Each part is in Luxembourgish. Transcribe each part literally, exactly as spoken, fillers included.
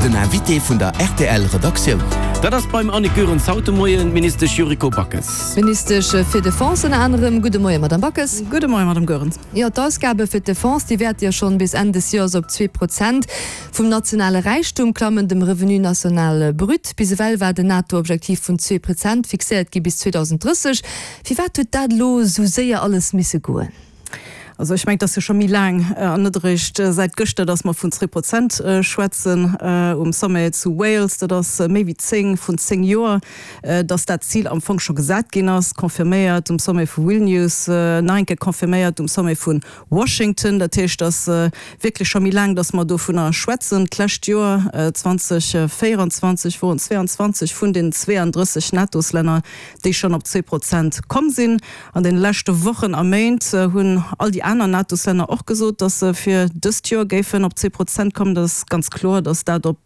Den Invité vun der R T L Redaktioun. Dat ass beim Annick Goerens haut de Moien d'Ministesch Yuriko Backes. Ministesch fir Defense ënner anerem. Gudde Moien, Madame Backes. Gudde Moien, Madame Goerens. Jo, d'Ausgabe fir d'Defense, déi wäerte jo schonn bis Enn des Joers op zwee Prozent vum nationale Räichtum klammen, dem Revenu national brut. Bis ewell war den NATO-Objektiv vun zwee Prozent fixéiert gi bis zweedausendrësseg. Firwat huet dat elo esou séier alles misse goen? Also ech mengen, et ass jo scho méi laang an net eréischt säit gëschter, dass mer vun zwee Prozent schwätzen um Sommet zu Wales. Dat ass méi wéi zéng, vrun zéng Joer, dass dat Zil am Fong scho gesat ginn ass, confirméiert um Sommet vu Vilnius, nach eng Kéier confirméiert um Sommet vu Washington. Dat heescht, et ass wierklech scho méi laang, dass mer dovunner schwätzen. D'lescht Joer, zweedausendvéierundzwanzeg, woren zwéianzwanzeg vun den zweeandrësseg NATO-Länner, déi schonn op zwee Prozent komm sinn. An den leschte Wochen a Méint hunn all déi aner NATO-Länner och gesot, dass se fir dëst Joer géifen op zwee Prozent kommen. Dat ass ganz kloer, dass dat op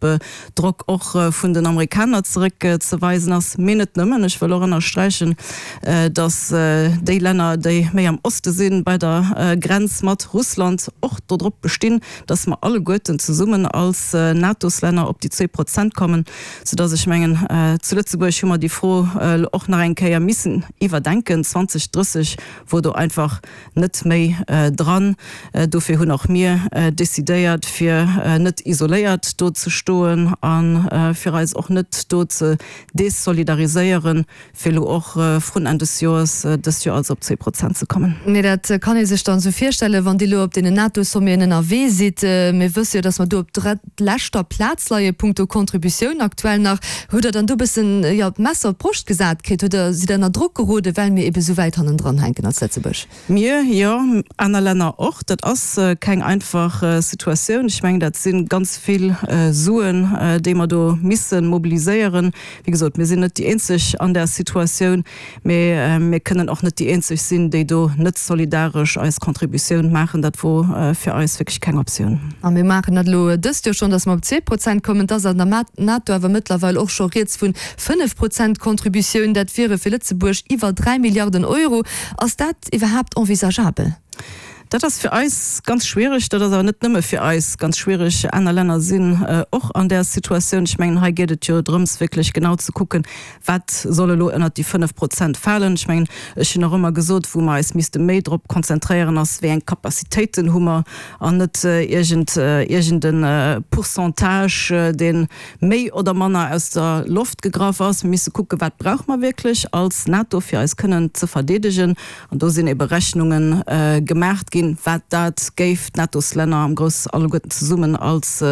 Drock och vun den Amerikaner zeréckzeweisen ass. Mee net nëmmen. Ech wëll och ënnersträichen, dass déi Länner, déi méi am Oste sinn, bei der Grenz mat Russland, och dodrop bestinn, dass mer alleguerten zesummen als NATO-Länner op déi zwee Prozent kommen. Soudass ech mengen, zu Lëtzebuerg hu mer déi Fro och nach eng Kéier missen iwwerdenken. zweedausendrësseg wor do einfach net méi dran. Dofir hunn och mir decidéiert, fir net isoléiert do ze stoen a fir eis och net do ze desolidariséieren, fir elo och vrun Enn des Joers, dëst Joer also op zwee Prozent ze kommen. Mee dat kann ee sech dann esou virstellen, wann Dir elo op deenen NATO-Sommeten ënnerwee sidd. Mir wësse jo, datt mer do op drëttleschter Plaz leie punkto Contributioun aktuell nach. Hutt Der dann do e bëssen, jo, d'Messer op d'Broscht gesat kritt? Hutt Der, sidd Der ënner Drock geroden, well mir ebe sou wäit hannendran hänken als Lëtzebuerg? Mir jo, aner Länner och. Dat ass keng einfach Situatioun. Ech mengen, dat si ganz vill Suen, déi mer do misse mobiliséieren. Wéi gesot, mir sinn net déi eenzeg an där Situatioun, mee mir kënnen och net déi eenzeg sinn, déi do net solidaresch eis Contributioun maachen. Dat wor fir eis wierklech keng Optioun. A mir maachen dat elo dëst Joer schonn, datt mer op zwee Prozent kommen. Et ass an der NATO awer mëttlerweil och scho rieds vu fënnef Prozent Contributioun. Dat wiere fir Lëtzebuerg iwwer dräi Milliarden Euro. Ass dat iwwerhaapt envisageabel? Dat ass fir eis ganz schwiereg. Dat ass awer net nëmme fir eis ganz schwiereg. Aner Länner sinn och an där Situatioun. Ech mengen, hei geet et jo drëms, wierklech genau ze kucken, wat soll elo ënnert déi fënnef Prozent falen. Ech mengen, ech hunn och ëmmer gesot, wou mer eis misste méi drop konzentréieren, ass, wéi eng Capacitéiten hu mer an net iergend iergend e Pourcentage, dee méi oder manner aus der Loft gegraff ass. Mir misse kucken, wat brauche mer wierklech als NATO, fir eis kënnen ze verdeedegen. An do sinn ebe Rechnunge gemaacht ginn, wat dat géif d'NATOs-Länner am Grouss alleguerten zesummen als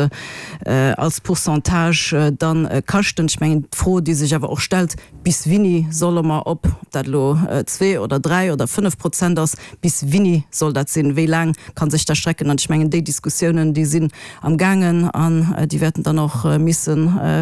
als Pourcentage dann kaschten. Ech mengen, d'Fro, déi sech awer och stellt, Bis wini solle mer op, ob dat elo zwee oder dräi oder fënnef Prozent ass, bis wini soll dat sinn, wéi laang ka sech dat strecken? An ech mengen, déi Diskussiounen, déi sinn am gaangen an déi wäerten dann och misse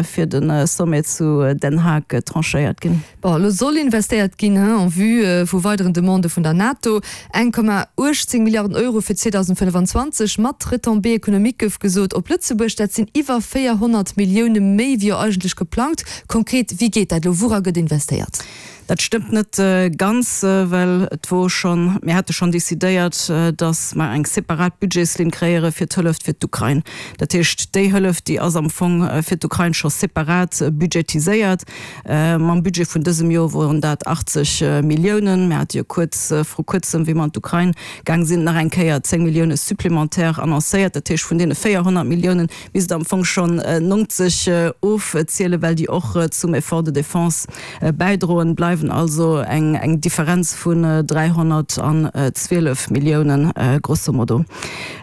fir de Sommet zu Den Haag tranchéiert ginn. Bon, elo soll investéiert ginn en vue vu weideren Demandë vun der NATO. Eng Komma uechtzéng Milliarden Euro fir zweedausendfënnefanzwanzeg mat Retombées économiques gouf gesot op Lëtzebuerg. Dat sinn iwwer véierhonnert Millioune méi wéi jo eigentlech geplangt. Konkret, wéi geet dat elo? Woura gëtt investéiert? Dat stëmmt net ganz, well et wor schonn, mir hate schonn decidéiert, datt mer eng separat Budgetslinn kréiere fir d'Hëllef fir d'Ukrain. Dat heescht, déi Hëllef, déi ass am Fong fir d'Ukrain scho separat budgetiséiert. Mam Budget vun dësem Joer woren dat achtzeg Milliounen. Mir hate jo kuerz, vru kuerzem, wéi mer an d'Ukrain gaang sinn, nach eng Kéier zéng Millioune supplémentaire annoncéiert. Dat heescht, vun deene véierhonnert Milliounen misst Der am Fong schonn nonzeg ofzielen, well déi och zum Effort de défense bäidroen. Bleiwen also eng Differenz vun dräihonnertzwielef Milliounen grosso modo.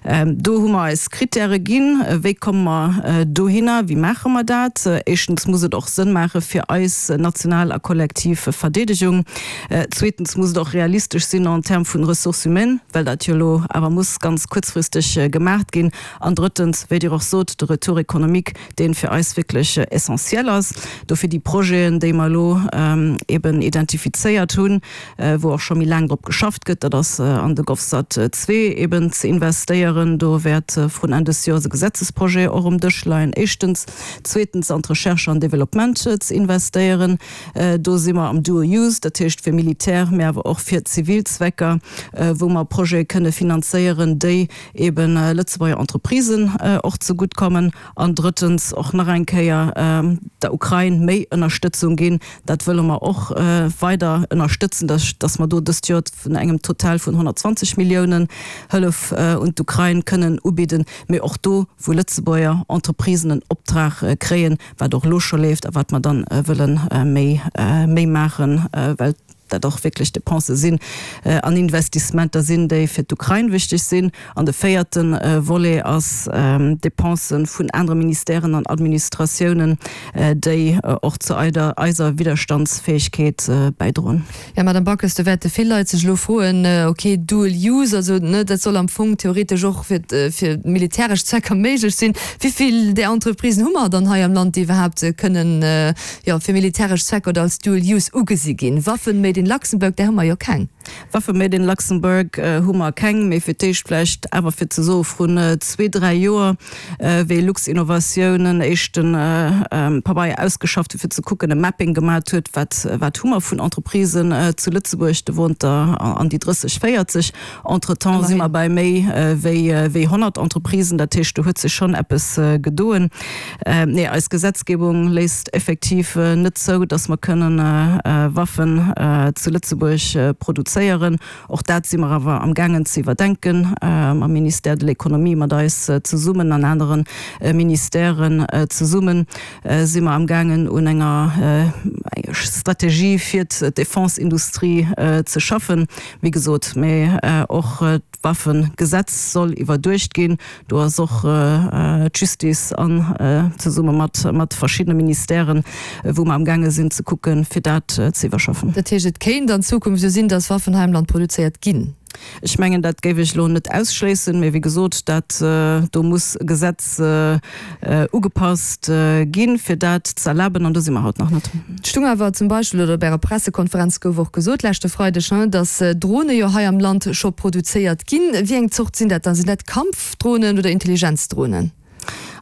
Do hu mer eis Krittäre ginn. Wéi komme mer dohinner? Wéi maache mer dat? Éischtens muss et och Sënn maache fir eis national a kollektiv Verdeedegung. Zweetens muss et och realistesch sinn en termes vun Ressources humaines, well dat jo elo awer muss ganz kuerzfristeg gemaacht ginn. An drëttens, wéi Dir och sot, de Retour économique, dee fir eis wierklech essentiel ass. Dofir déi Projeten, déi mer elo eben eben identifizéiert hunn, wou och scho méi laang drop geschafft gëtt, dat ass an de GovSat zwee eben ze investéieren. Do wäert vrun Enn des Joers e Gesetzesprojet och um Dësch leien, éischtens. Zweetens an d'Recherche an Développement ze investéieren. Do si mer am Dual Use, dat heescht fir Militär, mä awer och fir zivil Zwecker, wou mer Projete kënne finanzéieren, déi eben Lëtzebuerger Entreprisen och zegutt kommen. An drëttens och nach eng Kéier der Ukrain méi Ënnerstëtzung ginn. Dat wëlle mer och weider ënnerstëtzen, dass mer do dëst Joer vun engem Total vun honnertzwanzeg Milliounen Hëllef un d'Ukrain kënnen ubidden, mee och do, wou Lëtzebuerger Entreprisen en Optrag kréien, wat och elo scho leeft a wat mer dann wëlle méi méi maachen, well dat och wierklech Depensë sinn an Investissementer sinn, déi fir d'Ukrain wichteg sinn. An de véierte Volet ass Depensë vun anere Ministèren an Administratiounen, déi och zu eiser Widderstandsfäegkeet bäidroen. Jo, Madame Backes, do wäerte vill Leit sech elo froen, okay, Dual use, also, ne, dat soll am Fong theoretesch och fir, fir militäresch Zwecker méiglech sinn. Wéi vill där Entreprisen hu mer dann hei am Land, déi iwwerhaapt kënnen, jo, fir militäresch Zwecker oder als Dual use ugesi ginn? Waffen made in Luxembourg, där hu mer jo keng. Waffe made in Luxembourg hu mer keng, mee fir d'éischt vläicht awer fir ze soe vrun zwee, dräi Joer, wéi Luxinnovation en éischte Pabeier ausgeschafft huet, fir ze kucken, e Mapping gemat huet, wat, wat hu mer vun Entreprisen zu Lëtzebuerg, do woren der an déi drësseg, véierzeg. Entretemps si mer bei méi wéi, wéi honnert Entreprisen, dat heescht, do huet sech schonn eppes gedoen. Nee, eis Gesetzgebung léisst effektiv net zou, dass mer kënnen Waffen zu Lëtzebuerg produzéieren. Och dat si mer awer amgaangen ze iwwerdenken mam Ministère de l'Économie, mat eis zesummen an anere Ministèren zesummen si mer amgaangen un enger Strategie fir d'Defense-Industrie ze schaffen. Wéi gesot, mee och d'Waffegesetz soll iwwerduecht ginn. Do ass och d'Justice an zesumme mat mat verschiddene Ministèren, wou mer amgaange sinn ze kucken, fir dat ze iwwerschaffen. Dat heescht, et kéint an Zukunft esou sinn, datt Waffen hei am Land produzéiert ginn? Ech mengen, dat géif ech elo net ausschléissen, mee wéi gesot, dat do muss e Gesetz ugepasst ginn, fir dat ze erlaben, an do si mer haut nach net. Et stung awer zum Beispill, oder op Ärer Pressekonferenz gouf och gesot leschte Freideg, datt Drone jo hei am Land scho produzéiert ginn. Wéi eng Zort sinn dat dann? Sinn dat Kampfdronen oder Intelligenzdronen?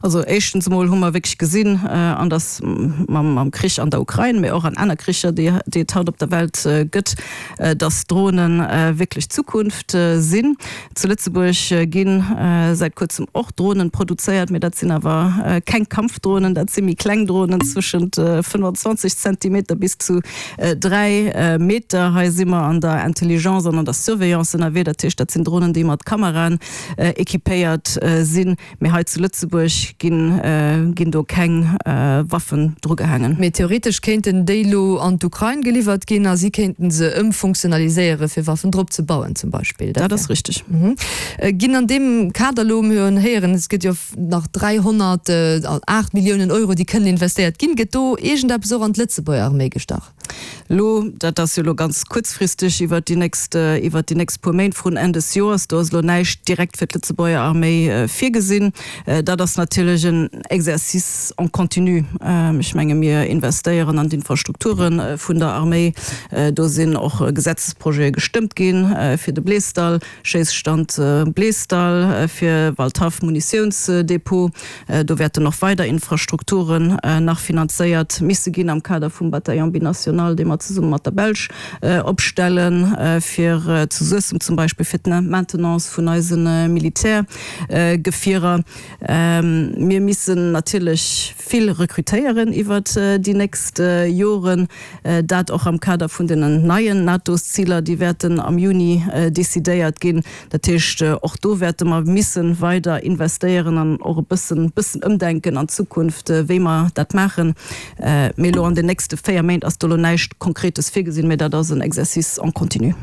Also éischtens emol hu mer wierklech gesinn, an dass mam Krich an der Ukrain, mee och an aner Kricher, déi et haut op der Welt gëtt, dass Drone wierklech d'Zukunft sinn. Zu Lëtzebuerg gi säit kuerzem och Dronen produzéiert, mee dat sinn awer keng Kampfdronen, dat si méi kleng Dronen zwëschent fënnfanzwanzeg Zentimeter bis zu dräi Meter. Hei si mer an der Intelligence an an der Surveillance ënnerwee, dat heescht, dat sinn Dronen, déi mat Kameraen équipéiert sinn. Mee hei zu Lëtzebuerg ginn, ginn do keng Waffen drugehaangen. Mee theoretesch kéinten déi lo an d'Ukrain geliwwert ginn a si kéinten se ëmfunktionaliséiere fir Waffen drop ze bauen zum Beispill. Dat ass richteg. Ginn an deem Kader elo, mir hunn héieren, et gëtt jo nach dräihonnertaacht Milliounen Euro, déi kënnen investéiert ginn, gëtt do iergendeppes och an d'Lëtzebuerger Arméi gestach? Elo, dat ass jo elo ganz kuerzfristeg iwwert déi nächst, iwwert déi nächst puer Méint vrun Enn des Joers, do ass elo näischt direkt fir d'Lëtzebuerger Arméi virgesinn. Dat ass natierlech en Exercice en continu. Ech menge mir investéieren an d'Infrastrukture vun der Arméi. Do sinn och Gesetzesprojete gestëmmt gi fir de Bleesdall, Schéisstand Bleesdall, fir Waldhaff Munitiounsdepot. Do wäerten och weider Infrastrukturen nach finanzéiert misse ginn am Kader vum Bataillon binational, dee mer zesumme mat der Belsch opstellen, fir zu Suessem zum Beispill fir d'Maintenance vun eise Militärgefierer. Mir missen natierlech vill rekrutéieren iwwert déi nächst Joren, dat och am Kader vun den neien NATO-Ziler, déi wäerten am Juni decidéiert ginn. Dat heescht, och do wäerte mer misse weider investéieren an och e bëssen bëssen ëmdenken an Zukunft, wéi mer dat maachen. Mee elo an den nächste véier Méint ass do elo näischt Konkretes virgesinn, mee dat ass en Exercice en continu.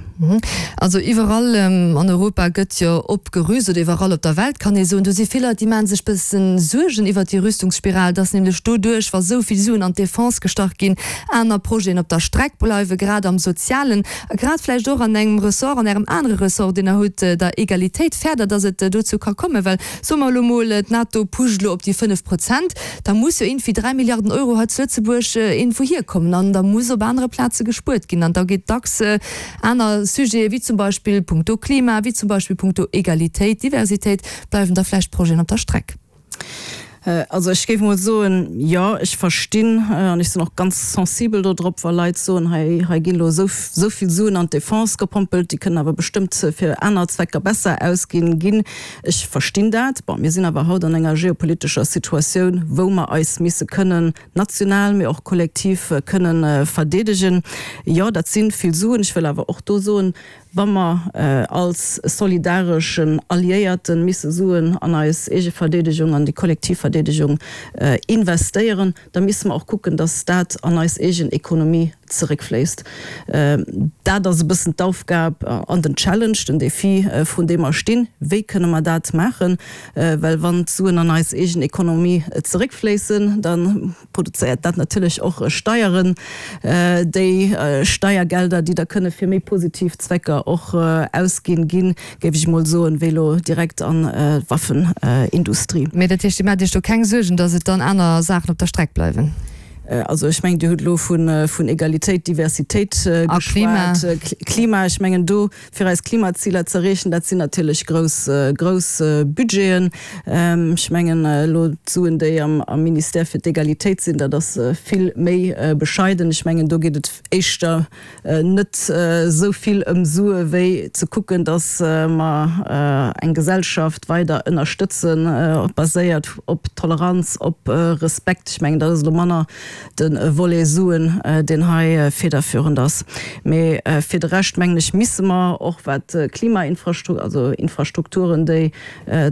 Also iwwerall an Europa gëtt jo opgerüst, oder iwwerall op der Welt kann ee soen. Do si vill Leit, déi maache sech bëssen Suergen iwwert déi Rüstungsspiral, dass nämlech doduerch, wa sou vill Suen an d'Defense gestach ginn, aner Projeten op der Streck bleiwen, grad am Sozialen a grad vläicht och an engem Ressort, an Ärem anere Ressort, deen Der hutt, der Egalitéit, fäert Der, dass et dozou ka kommen? Well soe mer elo mol, d'NATO pusht elo op déi fënnef Prozent, da muss jo iergendwéi dräi Milliarden Euro hei zu Lëtzebuerg iergendwou hierkommen an da muss op anere Plaze gespuert ginn an da geet dacks aner Sujete wéi zum Beispill punkto Klima, wéi zum Beispill punkto Egalitéit, Diversitéit, bleiwen da vläicht Projeten op der Streck. Also ech géif emol soen, jo, ech verstinn an ech sinn och ganz sensibel do drop, wa Leit soen, hei, hei ginn elo esou, esou vill Suen an d'Defense gepompelt, déi kënnen awer bestëmmt fir aner Zwecker besser ausginn ginn. Ech verstinn dat. Bon, mir sinn awer haut an enger geopolitescher Situatioun, wou mer eis misse kënnen national, mee och kollektiv kënnen verdeedegen. Jo, dat si vill Suen. Ech wëll awer och do soen, Wa mer als solidareschen Alliéierte misse Suen an eis eege Verdeedegung, an déi kollektiv Verdeedegung investéieren, da misse mer och kucken, datt dat an eis eegen Ekonomie zeréckfléisst. Dat ass e bëssen d'Aufgab an den Challenge, den Défi, vrun deem mer stinn. Wéi kënne mer dat maachen? Well wann d'Suen an eis eegen Ekonomie zeréckfléissen, da produzéiert dat natierlech och Steieren, déi Steiergelder, déi da kënne fir méi positiv Zwecker och ausginn ginn, géif ech emol soen, wéi elo direkt an d'Waffenindustrie. Mee dat heescht, Dir maacht Iech do keng Suergen, datt et dann aner Saachen op der Streck bleiwen? Also ech mengen, Dir hutt elo vun Egalitéit, Diversitéit geschwat, Klima. Ech mengen do, fir eis Klimaziler ze erreechen, dat sinn natierlech grouss, grouss Budgeten. Ech mengen elo d'Suen, déi am Ministère fir d'Egalitéit sinn, dat ass vill méi bescheiden. Ech mengen, do geet et éischter net esou vill ëm Sue wéi ze kucken, datt mer eng Gesellschaft weider ënnerstëtzen, baséiert op Toleranz, op Respekt. Ech mengen, dat ass elo manner de Volet Suen, deen hei federführend ass. Mee fir de Rescht, mengen ech, misse mer och wat Klimainfrastru-, also Infrastrukturen, déi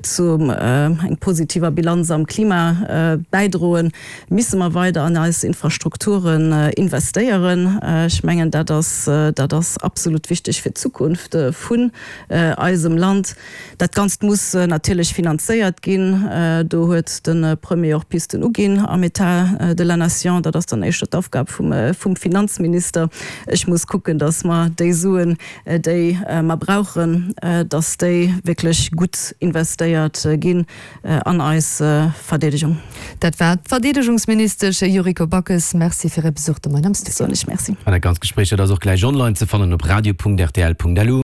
zu eng positiver Bilanz am Klima bäidroen, misse mer weider an eis Infrastrukturen investéieren. Ech mengen, dat ass, dat ass absolut wichteg fir d'Zukunft vun eisem Land. Dat Ganzt muss natierlech finanzéiert ginn. Do huet de Premier och Pisten uginn am État de la Nation. Dat ass dann éischter d'Aufgab vum Finanzminister. Ech muss kucken, datt mer déi Suen, déi mer brauchen, datt déi wierklech gutt investéiert ginn an eis Verdeedegung. Dat war d'Verdeedegungsministesch Yuriko Backes. Merci fir Är Besuch de Moien am Studio. Soen ech Merci. An dat ganzt Gespréich, dat ass och gläich online ze fannen op radio.rtl.lu.